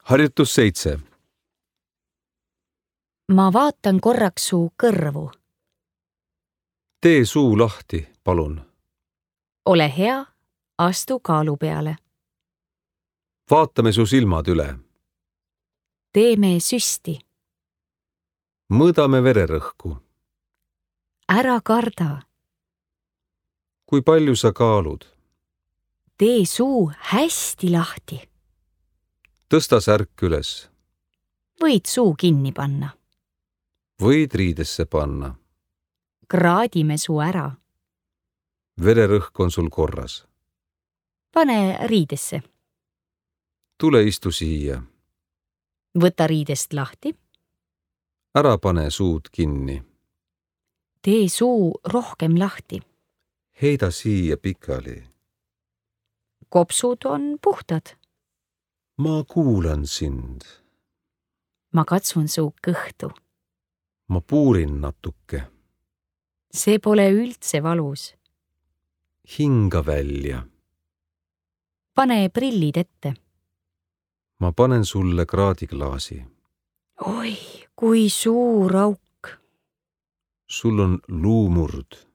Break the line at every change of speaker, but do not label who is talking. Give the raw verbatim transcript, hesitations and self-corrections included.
Harjutus seitse.
Ma vaatan korraks su kõrvu.
Tee suu lahti, palun.
Ole hea, astu kaalu peale.
Vaatame su silmad üle.
Teeme süsti.
Mõõdame vererõhku.
Ära karda.
Kui palju sa kaalud?
Tee suu hästi lahti.
Tõsta särk üles.
Võid suu kinni panna.
Võid riidesse panna.
Kraadime su ära.
Vererõhk on sul korras.
Pane riidesse.
Tule istu siia.
Võta riidest lahti.
Ära pane suud kinni.
Tee suu rohkem lahti.
Heida siia pikali.
Kopsud on puhtad.
Ma kuulan sind.
Ma katsun su kõhtu.
Ma puurin natuke.
See pole üldse valus.
Hinga välja.
Pane prillid ette.
Ma panen sulle kraadiklaasi.
Oi, kui suur auk.
Sul on luumurd.